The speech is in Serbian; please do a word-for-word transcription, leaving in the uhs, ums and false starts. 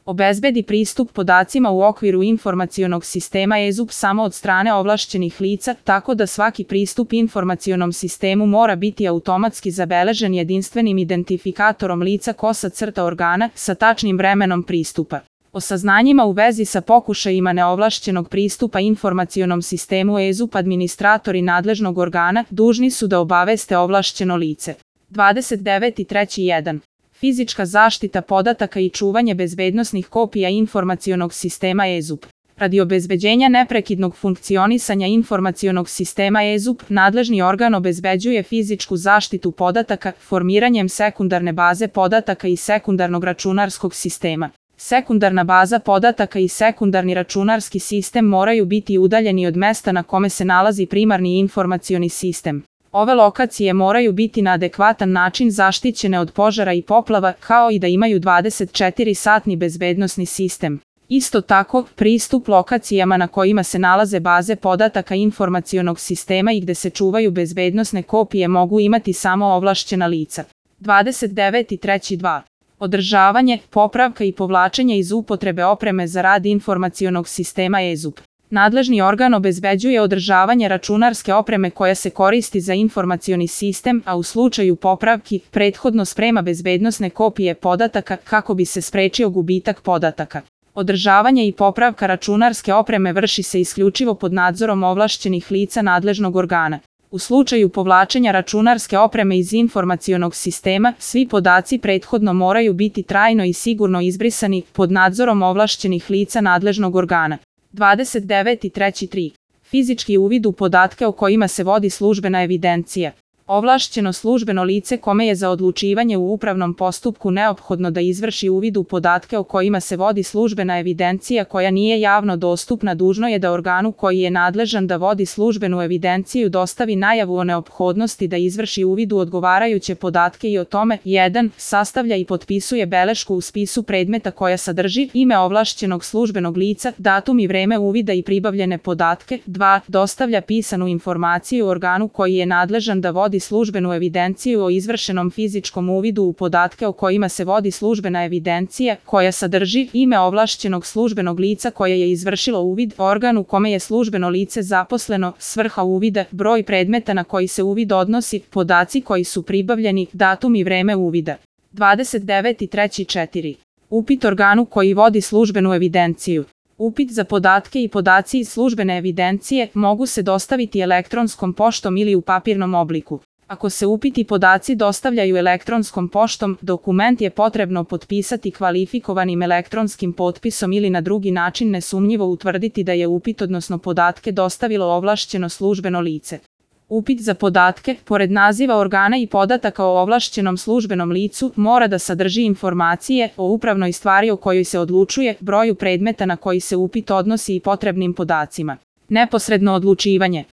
Obezbedi pristup podacima u okviru informacionog sistema E Z U P samo od strane ovlašćenih lica, tako da svaki pristup informacionom sistemu mora biti automatski zabeležen jedinstvenim identifikatorom lica kosa crta organa sa tačnim vremenom pristupa. O saznanjima u vezi sa pokušajima neovlašćenog pristupa informacionom sistemu E Z U P administratori nadležnog organa dužni su da obaveste ovlašćeno lice. dvadeset deveti treći jedan. Fizička zaštita podataka i čuvanje bezbednosnih kopija informacionog sistema E Z U P. Radi obezbeđenja neprekidnog funkcionisanja informacionog sistema E Z U P, nadležni organ obezbeđuje fizičku zaštitu podataka formiranjem sekundarne baze podataka i sekundarnog računarskog sistema. Sekundarna baza podataka i sekundarni računarski sistem moraju biti udaljeni od mesta na kome se nalazi primarni informacioni sistem. Ove lokacije moraju biti na adekvatan način zaštićene od požara i poplava, kao i da imaju dvadeset četiri satni bezbednosni sistem. Isto tako, pristup lokacijama na kojima se nalaze baze podataka informacionog sistema i gde se čuvaju bezbednosne kopije mogu imati samo ovlašćena lica. dvadeset deveti treći dva. Održavanje, popravka i povlačenje iz upotrebe opreme za rad informacionog sistema E Z U P. Nadležni organ obezbeđuje održavanje računarske opreme koja se koristi za informacioni sistem, a u slučaju popravki, prethodno sprema bezbednosne kopije podataka kako bi se sprečio gubitak podataka. Održavanje i popravka računarske opreme vrši se isključivo pod nadzorom ovlašćenih lica nadležnog organa. U slučaju povlačenja računarske opreme iz informacionog sistema, svi podaci prethodno moraju biti trajno i sigurno izbrisani pod nadzorom ovlašćenih lica nadležnog organa. dvadeset deveti treći tri. Fizički uvid u podatke o kojima se vodi službena evidencija. Ovlašćeno službeno lice kome je za odlučivanje u upravnom postupku neophodno da izvrši uvid u podatke o kojima se vodi službena evidencija koja nije javno dostupna dužno je da organu koji je nadležan da vodi službenu evidenciju dostavi najavu o neophodnosti da izvrši uvid u odgovarajuće podatke i o tome jedan. Sastavlja i potpisuje belešku u spisu predmeta koja sadrži ime ovlašćenog službenog lica, datum i vreme uvida i pribavljene podatke. dva. Dostavlja pisanu informaciju organu koji je nadležan da vodi službenu evidenciju o izvršenom fizičkom uvidu u podatke o kojima se vodi službena evidencija, koja sadrži ime ovlašćenog službenog lica koje je izvršilo uvid, organ u kome je službeno lice zaposleno, svrha uvida, broj predmeta na koji se uvid odnosi, podaci koji su pribavljeni, datum i vreme uvida. dvadeset deveti treći četiri. Upit organu koji vodi službenu evidenciju. Upit za podatke i podaci iz službene evidencije mogu se dostaviti elektronskom poštom ili u papirnom obliku. Ako se upiti i podaci dostavljaju elektronskom poštom, dokument je potrebno potpisati kvalifikovanim elektronskim potpisom ili na drugi način nesumnjivo utvrditi da je upit odnosno podatke dostavilo ovlašćeno službeno lice. Upit za podatke, pored naziva organa i podataka o ovlašćenom službenom licu, mora da sadrži informacije o upravnoj stvari o kojoj se odlučuje, broju predmeta na koji se upit odnosi i potrebnim podacima. Neposredno odlučivanje.